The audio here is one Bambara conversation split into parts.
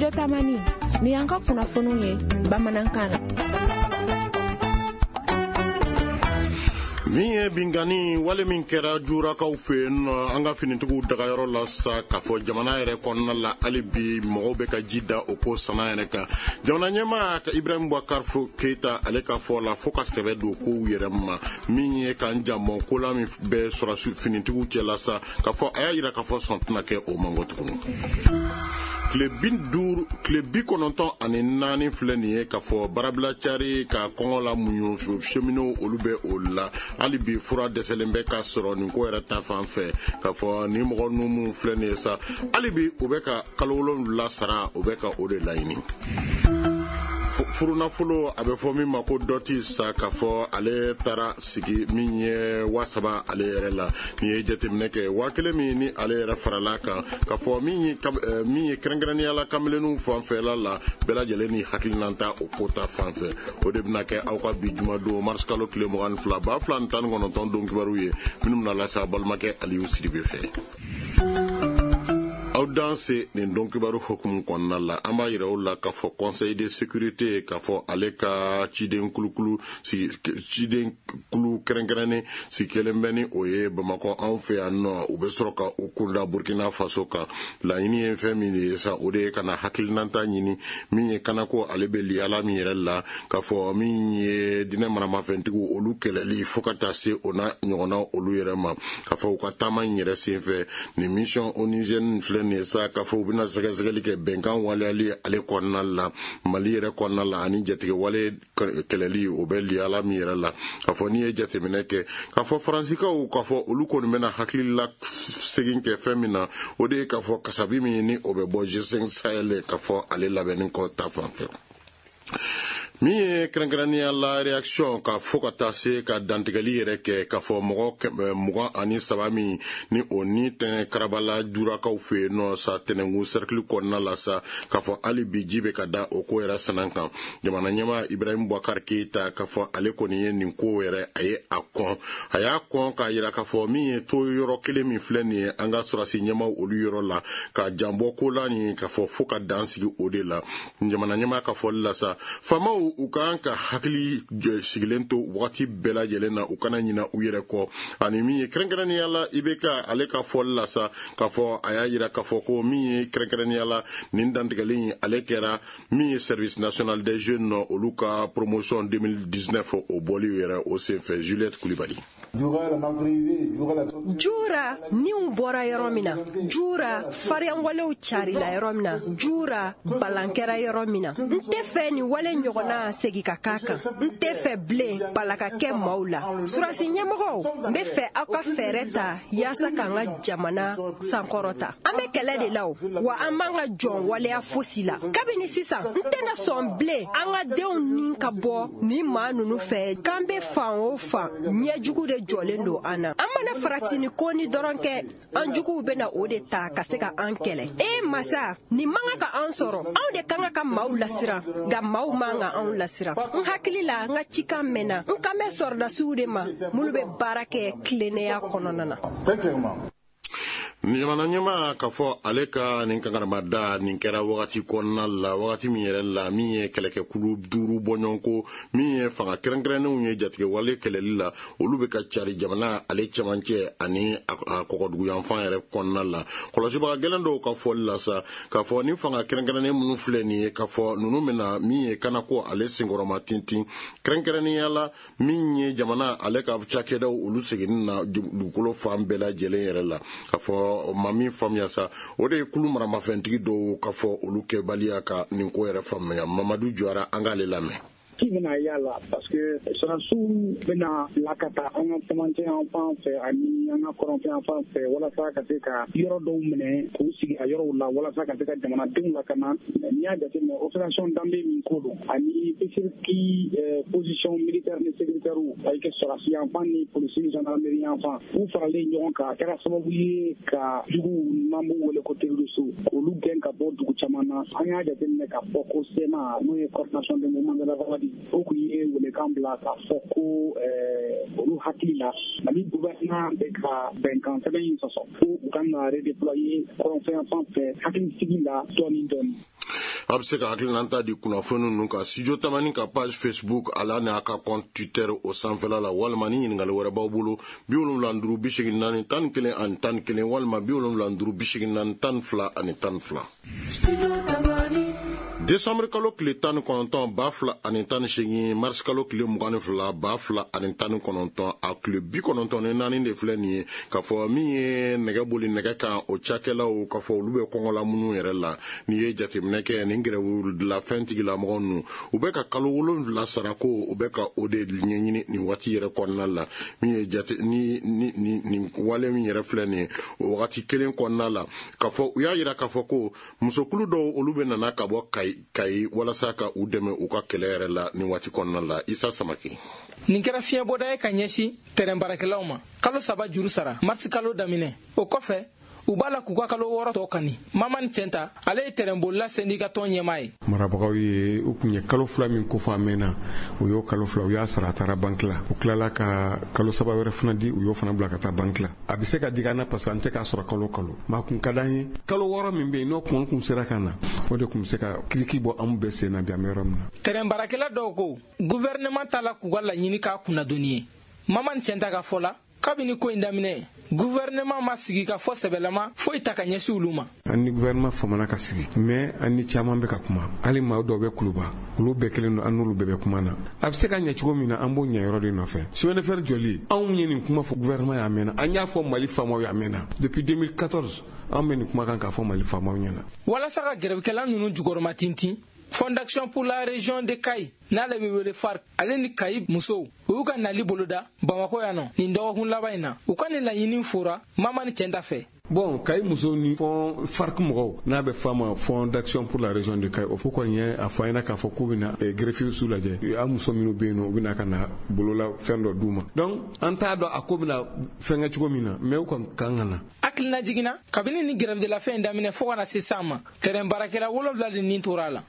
Studio Tamani, ni y'an ka kunnafoniw ye bamanankan na. Min ye binkanni wale min kɛra Jurakaw fɛ yen nɔ, an ka finitigiw dagayɔrɔ la sa, k'a fɔ jamana yɛrɛ kɔnɔna la, hali bi mɔgɔw bɛ ka ji da o ko sana yɛrɛ kan. Jamana ɲɛmaa ka Ibrahim Boubacar Keita, ale ka fɔ la, fo ka sɛbɛ don kow yɛrɛ ma. Min ye k'an janbɔn ko la min bɛ sɔrɔsi finitigiw cɛla sa, k'a fɔ a y'a yira k'a fɔ sɔn tɛna kɛ o man kɔ tuguni. Tile 50, tile 94 filɛ nin ye, k'a fɔ baarabila cari ka kɔngɔ la muɲu, cheminots olu bɛ o la. Hali bi fura dɛsɛlen bɛ ka sɔrɔ nin ko yɛrɛ ta fan fɛ, k'a fɔ ni mɔgɔ ninnu minnu filɛ nin ye sa, hali bi u bɛ ka kalo 7 sara, u bɛ ka o de laɲini. Furunafolo, a bɛ fɔ min ma ko dot sa, k'a fɔ ale taara sigi min ye 3000 ale yɛrɛ la. N'i ye jateminɛ kɛ, 1000 min ni ale yɛrɛ farala kan, k'a fɔ min ye kɛrɛnkɛrɛnnenya la kamelenninw fanfɛla la, bɛɛ lajɛlen ni hakilina ta o ko ta fan fɛ. O de bɛna kɛ aw ka bi jumadon, mars kalo tile 22, 2019 don kibaru ye, minnu bɛna lase aw balimakɛ Aliyu Sidibe fɛ. Aw danse. Nin don kibaru hukumu kɔnɔna la, an b'a yira u la k'a fɔ Conseil de sécurité, k'a fɔ ale ka ciden kulukulu, ciden kulu kɛrɛnkɛrɛnnen sigi kelen bɛ ni o ye Bamakɔ anw fɛ yan nɔ, u bɛ sɔrɔ ka u kunda Burkina Faso kan. Laɲini ye fɛn min de ye sa, o de ye ka na hakilinata ɲini min ye kanako ale bɛ liyala min yɛrɛ la, k'a fɔ min ye diinɛ maramafɛntigiw olu kɛlɛli, fo ka taa se o n'a ɲɔgɔnna olu yɛrɛ ma. K'a fɔ u ka taama in yɛrɛ senfɛ, nin mission onusienne filɛ nin ye sa, k'a fɔ u bɛna sɛgɛsɛgɛli kɛ bɛnkan waleyali ale kɔnɔna la, Mali yɛrɛ kɔnɔna la, ani jatigɛwale kɛlɛli o bɛ liyala min yɛrɛ la. K'a fɔ n'i ye jateminɛ kɛ, k'a fɔ Faransikaw, k'a fɔ olu kɔni bɛna hakilila segin kɛ fɛn min na, o de ye k'a fɔ kasabi min ni o bɛ bɔ G5 Sahel, k'a fɔ ale labɛnni kɔ ta fan fɛ. Min ye kɛrɛnkɛrɛnnenya la réaction, ka fo ka taa se ka dantigɛli yɛrɛ kɛ, k'a fɔ mɔgɔ 23 min ni o ni tɛnɛ Karabala Jurakaw fɛ yen nɔ sa, Tɛnɛnkun cercle kɔnɔna la sa, k'a fɔ hali bi ji bɛ ka da o ko yɛrɛ sanan kan. Jamana ɲɛmaa Ibrahim Boubacar Keita, k'a fɔ ale kɔni ye nin ko yɛrɛ, a ye a kɔn, a y'a kɔn k'a yira k'a fɔ min ye to yɔrɔ kelen min filɛ nin ye an ka sɔrɔsi ɲɛmaaw olu yɔrɔ la, ka janbɔ ko la nin, k'a fɔ fo ka dan sigi o de la. Jamana ɲɛmaa ka fɔli la sa, faamaw u kan ka hakili sigilen to wagati bɛɛ lajɛlen na, u kana ɲina u yɛrɛ kɔ. Ani min ye kɛrɛnkɛrɛnnenya la IBK, ale ka fɔli la sa, k'a fɔ a y'a yira k'a fɔ ko min ye kɛrɛnkɛrɛnnenya la nin dantigɛli in, ale kɛra min ye Service national des jeunes olu ka promotion 2019 o bɔli yɛrɛ o senfɛ. Juliette Kulibali. Jura niw bɔra yɔrɔ min na, Jura fariyanwalew carila yɔrɔ min na, Jura balan kɛra yɔrɔ min na, n tɛ fɛ nin wale ɲɔgɔnna segi ka k'a kan. N tɛ fɛ bilen bala ka kɛ maaw la. Surasi ɲɛmɔgɔw, n bɛ fɛ aw ka fɛɛrɛ ta yaasa k'an ka jamana sankɔrɔta. An bɛ kɛlɛ de la o, wa an b'an ka jɔn waleya fosi la. Kabini sisan, n tɛna sɔn bilen an ka denw ni ka bɔ nin maa ninnu fɛ. K'an bɛ fan o fan, ɲɛjugu de jɔlen don an na. An mana farati ni ko ni dɔrɔn kɛ, an juguw bɛna o de ta ka se ka an kɛlɛ. E masa, nin man kan ka an sɔrɔ. Anw de kan ka maaw lasiran, nka maaw man ka anw lasiran. N hakili la, n ka cikan mɛnna. N kan bɛ sɔrɔdasiw de ma minnu bɛ baara kɛ tilennenya kɔnɔna na. Jamana ɲɛmaa, k'a fɔ ale ka nin kankaramada nin kɛra wagati kɔnɔna la, wagati min yɛrɛ la min ye kɛlɛkɛkulu duuru bɔɲɔgɔnko, min ye fanga kɛrɛnkɛrɛnnenw ye jatigɛwale kɛlɛli la, olu bɛ ka cari jamana ale cɛmancɛ ani a kɔgɔduguyanfan yɛrɛ kɔnɔna la. Kɔlɔsibaga gɛlɛn dɔw ka fɔli la sa, k'a fɔ ni fanga kɛrɛnkɛrɛnnen minnu filɛ nin ye, k'a fɔ ninnu bɛna min ye kanako ale senkɔrɔma tintin, kɛrɛnkɛrɛnnenya la min ye jamana ale ka cakɛdaw olu seginni na dugukolo fan bɛɛ lajɛlen yɛrɛ la. K'a fɔ ma min faamuya sa, o de ye kulu maramafɛntigi dɔw, k'a fɔ olu kɛbaliya ka nin ko yɛrɛ faamuya. Mamadu Jɔra, an k'ale lamɛn. Ci bɛna y'a la, parce que sɔrɔdasiw bɛna bila ka taa an ka cɛmancɛ yan fan fɛ ani an ka kɔrɔnfɛ yan fan fɛ, walasa ka se ka yɔrɔ dɔw minɛ k'u sigi a yɔrɔw la, walasa ka se ka jamanadenw lakana. N'i y'a jateminɛ, opération danbe min ko don ani ki position militaire ni sécuritaire, a kɛ sɔrɔdasi yan fan ni polisi ni gendarmerie yan fan, u faralen ɲɔgɔn kan, a kɛra sababu ye ka juguw n'an b'u wele ko terroriste, k'olu gɛn ka bɔ dugu caman na. An y'a jateminɛ k'a fɔ ko CMA, n'o ye Coordination des mouvements de l'Azawad, o kun ye welekan bila k'a fɔ ko olu hakili la, Mali gouvernement bɛ ka bɛnkan sɛbɛn in sɔsɔ, ko u kan ka redéployer kɔrɔnfɛ yan fan fɛ hakilisigi la dɔɔni dɔɔni. A bɛ se ka hakilinata di kunnafoni ninnu kan Studio Tamani ka page Facebook ala n'a ka compte Twitter o sanfɛla la, walima ni ɲininkali wɛrɛ b'aw bolo, 75 84 11 11, walima 75 84 12 12. Décembre kalo tile 19 2018, mars kalo tile 22 2019, a tile 94 de filɛ nin ye k'a fɔ min ye nɛgɛ boli nɛgɛ kan, o cakɛlaw k'a fɔ olu bɛ kɔngɔ la minnu yɛrɛ la. N'i ye jateminɛ kɛ, nin grève la fɛn tigilamɔgɔ ninnu, u bɛ ka kalo 7 sarako, u bɛ ka o de ɲɛɲini nin waati yɛrɛ kɔnɔna la. Min ye jate ni ni nin wale min yɛrɛ filɛ nin ye, o wagati kelen kɔnɔna la, k'a fɔ u y'a yira k'a fɔ ko musokulu dɔw, olu bɛ nana ka bɔ Kayi walasa ka u dɛmɛ u ka kɛlɛ yɛrɛ la nin waati kɔnɔna la. Isa Samake. Nin kɛra fiɲɛbɔda ye ka ɲɛsin tɛrɛn baarakɛlaw ma. Kalo 3 juru sara marisi kalo daminɛ, o kɔfɛ u b'a la k'u ka kalo 6 tɔ kani. Mamani Cɛnta, ale ye tɛrɛnbolila sɛndika tɔn ɲɛmaa ye. Marabagaw ye u kun ye kalo 2 min kofɔ a mɛnna, u y'o kalo 2, u y'a sara, a taara banki la. U tilala ka kalo 3 wɛrɛ fana di, u y'o fana bila ka taa banki la. A bɛ se ka digi an na parce que an tɛ k'a sɔrɔ kalo kalo, mais a kun ka d'an ye kalo 6 min bɛ yen, n'o kun sera ka na, o de kun bɛ se ka kiriki bɔ anw bɛɛ sen na bi an bɛ yɔrɔ min na. Tɛrɛn baarakɛla dɔw ko gouvernement t'a la k'u ka laɲini k'a kunnadonni ye. Mamani Cɛnta ka fɔ la, kabini ko in daminɛ, gouvernement ma sigi ka fɔ sɛbɛlama foyi ta ka ɲɛsin olu ma. An ni gouvernement famana ka sigi, mais an ni caman bɛ ka kuma. Hali maa dɔw bɛ Kuluba, olu bɛɛ kelen don, an n'olu bɛɛ bɛ kuma na. A bɛ se ka ɲɛ cogo min na, an b'o ɲɛ yɔrɔ de nɔfɛ. Chemin de fer jɔli, anw ye nin kuma fɔ gouvernement y'a mɛnna, an y'a fɔ Mali faamaw y'a mɛnna. Depuis 2014 an bɛ nin kuma kan k'a fɔ Mali faamaw ɲɛna. Walasa ka gɛrɛbikɛla ninnu jukɔrɔma tintin, Fondation pour la région de Kayi, n'ale bɛ wele FARC, ale ni Kayi musow, u y'u ka nali boloda Bamakɔ yan nɔ nin dɔgɔkun laban in na. U ka nin laɲini fora Mamani Cɛnta fɛ. Bon, Kayi musow ni fond FARC mɔgɔw, n'a bɛ f'a ma Fond d'action pour la région de Kayi, o fo kɔni ye a fɔ an ɲɛna k'a fɔ k'u bɛna greffier su lajɛ, an muso minnu bɛ yen nɔ, u bɛna ka na bolola fɛn dɔ d'u ma. Donc an t'a dɔn a ko bɛna fɛnkɛ cogo min na, mais u kɔni kan ka na. Hakilina jiginna, kabini ni grève de la faim in daminɛ fo ka na se san ma, tɛrɛn baarakɛla 7 de nin tora a la.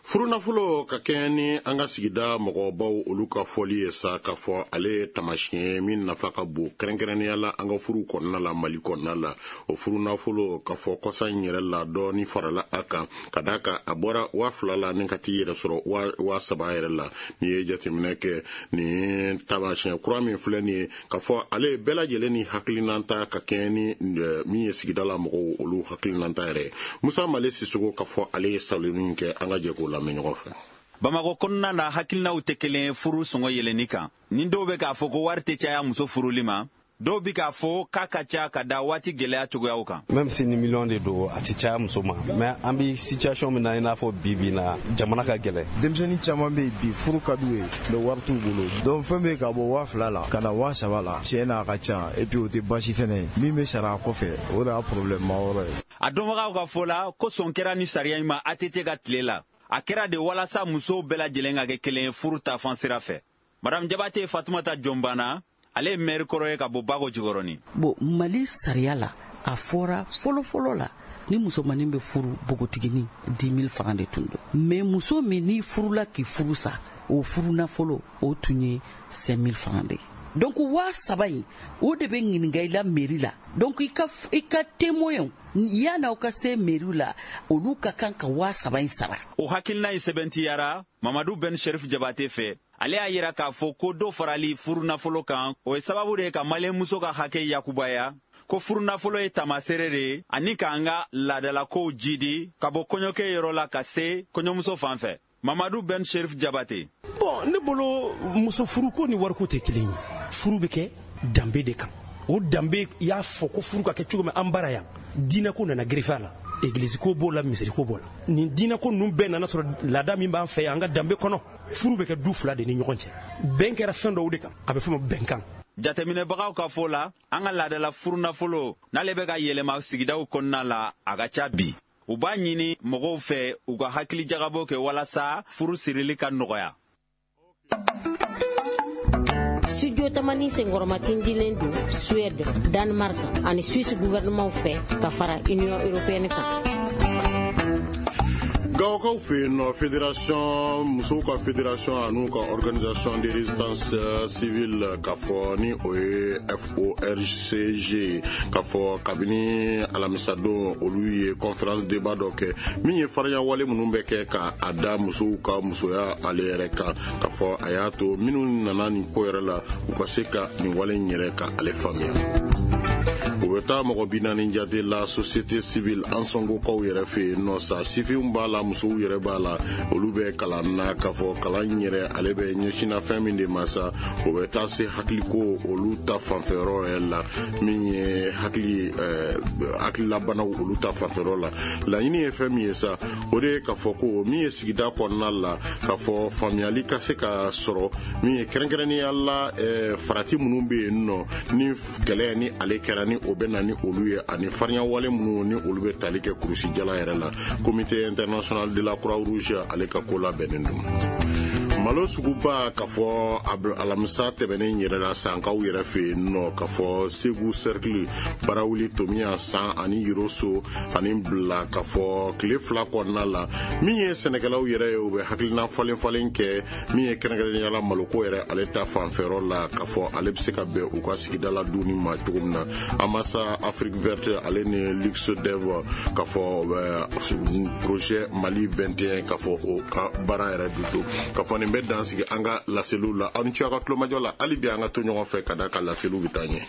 Furunafolo, ka kɛɲɛ ni an ka sigida mɔgɔbaw olu ka fɔli ye sa, k'a fɔ ale ye tamasiyɛn ye min nafa ka bon, kɛrɛnkɛrɛnnenya la an ka furu kɔnɔna la, Mali kɔnɔna la. O furunafolo, k'a fɔ kɔsa in yɛrɛ la, dɔɔni farala a kan, ka d'a kan a bɔra 2000 la ni ka t'i yɛrɛ sɔrɔ 3000 yɛrɛ la. N'i ye jateminɛ kɛ, nin tamasiyɛn kura min filɛ nin ye, k'a fɔ ale ye bɛɛ lajɛlen ni hakilinata, ka kɛɲɛ ni min ye sigida la mɔgɔw olu hakilinata yɛrɛ ye. Musa Male Sisogo, k'a fɔ ale ye salonni kɛ, an ka jɛ k'o lamɛn ɲɔgɔn fɛ. Bamakɔ kɔnɔna na, hakilinaw tɛ kelen furu sɔngɔ yɛlɛnni kan. Ni dɔw bɛ k'a fɔ ko wari tɛ caya muso furuli ma, dɔw bi k'a fɔ k'a ka ca ka da waati gɛlɛya cogoyaw kan. Même si ni miliyɔn de don, a tɛ caya muso ma, mais an bi situation min na, i n'a fɔ bi bi na, jamana ka gɛlɛn. Denmisɛnnin caman bɛ yen bi, furu ka d'u ye, mais wari t'u bolo. Donc fɛn bɛ ka bɔ 2000 la ka na 3000 la, tiɲɛ na a ka ca. Et puis o tɛ baasi fɛnɛ ye, min bɛ sara a kɔfɛ, o de y'a problème ma yɔrɔ ye. A dɔnbagaw ka fɔ la ko sɔn kɛra ni sariya in ma ATT ka tile la. A kɛra de walasa musow bɛɛ lajɛlen ka kɛ kelen ye furu ta fan sira fɛ. Madame Jabate Fatumata Jɔnbana, ale ye maire kɔrɔ ye ka bɔ Bago Jikɔrɔni. Bon, Mali sariya la, a fɔra fɔlɔ-fɔlɔ la, ni musomanin bɛ furu, npogotiginin, 10 000 francs de tun don. Mais muso min n'i furula k'i furu sa, o furu nafolo, o tun ye 5 000 francs de ye. Donc 3000 in, o de bɛ ɲininka i la mairie la. Donc i ka témoin, yan'aw ka se mairie la, olu ka kan ka 3000 in sara. O hakilina in sɛbɛntiyara Mamadu Ben Sherif Jabate fɛ. Ale y'a yira k'a fɔ ko dɔ farali furunafolo kan, o ye sababu de ye ka maliyɛnmuso ka hakɛ yakubaya, ko furunafolo ye tamaseere de ye ani k'an ka laadalakow jidi ka bɔ kɔɲɔkɛ yɔrɔ la ka se kɔɲɔmuso fan fɛ. Mamadu Ben Sherif Jabate. Bon, ne bolo, muso furuko ni wariko tɛ kelen ye. Furu bɛ kɛ danbe de kan. O danbe y'a fɔ ko furu ka kɛ cogo min, an bara yan, diinɛko nana greffer a la, egilizi ko b'o la, misiri ko b'o la. Nin diinɛko ninnu bɛɛ nana sɔrɔ laada min b'an fɛ yan, an ka danbe kɔnɔ, furu bɛ kɛ du fila de ni ɲɔgɔn cɛ, bɛn kɛra fɛn dɔw de kan, a bɛ fɔ ma bɛnkan. Jateminɛbagaw ka fɔ la, an ka laadala furunafolo n'ale bɛ ka yɛlɛma sigidaw kɔnɔna la, a ka ca bi. U b'a ɲini mɔgɔw fɛ u ka hakili jagabɔ kɛ walasa furu sirili ka nɔgɔya. Studio Tamani senkɔrɔmatindilen don Suède, Danemark ani Suisse gouvernement fɛ ka fara Union européenne kan. Gawokaw fɛ yen nɔ, fédération musow ka fédération an'u ka organisation de résistance civile, k'a fɔ ni o ye FORCG, k'a fɔ kabini alamisadon, olu ye conférence débat dɔ kɛ min ye farinya wale minnu bɛ kɛ ka a da musow ka musoya ale yɛrɛ kan, k'a fɔ a y'a to minnu nana nin ko yɛrɛ la, u ka se ka nin wale in yɛrɛ ka ale faamuya. U bɛ taa mɔgɔ 40 jate la société civile Ansongokaw yɛrɛ fɛ yen nɔ sa. Sifinw b'a la, musow yɛrɛ b'a la, olu bɛ kalan na, k'a fɔ kalan in yɛrɛ ale bɛ ɲɛsinna fɛn min de ma sa, o bɛ taa se hakiliko olu ta fanfɛyɔrɔ yɛrɛ la, min ye hakili hakililabanaw olu ta fanfɛyɔrɔ la. Laɲini ye fɛn min ye sa, o de ye k'a fɔ ko min ye sigida kɔnɔna la, k'a fɔ faamuyali ka se ka sɔrɔ, min ye kɛrɛnkɛrɛnnenya la farati minnu bɛ yen nɔ ni kɛlɛ ni ale kɛra, ni o bɛ na ni olu ye, ani farinya wale minnu ni olu bɛ tali kɛ kurusi jala yɛrɛ la. Comité international de la Croix Rouge ale ka ko labɛnnen don. Malo suguba, k'a fɔ alamisa tɛmɛnen yɛrɛ la, Sankaw yɛrɛ fɛ yen nɔ, k'a fɔ Segu cercle, Barawuli, Tomiya, San ani Yoroso ani Bila, k'a fɔ tile 2 kɔnɔna la, min ye sɛnɛkɛlaw yɛrɛ ye, u bɛ hakilina falen falen kɛ, min ye kɛrɛnkɛrɛnnenya la maloko yɛrɛ ale ta fanfɛyɔrɔ la, k'a fɔ ale bɛ se ka bɛn u ka sigida la dunni ma cogo min na. Amasa Afrique Verte ale ni Luxe Dev, k'a fɔ projet Mali 21, k'a fɔ o ka baara yɛrɛ don, k'a fɔ nin bɛ dan sigi an ka laseliw la. Aw ni ce aw ka tulomajɔ la. Hali bi an ka to ɲɔgɔn fɛ ka da ka laseliw bɛ taa ɲɛ.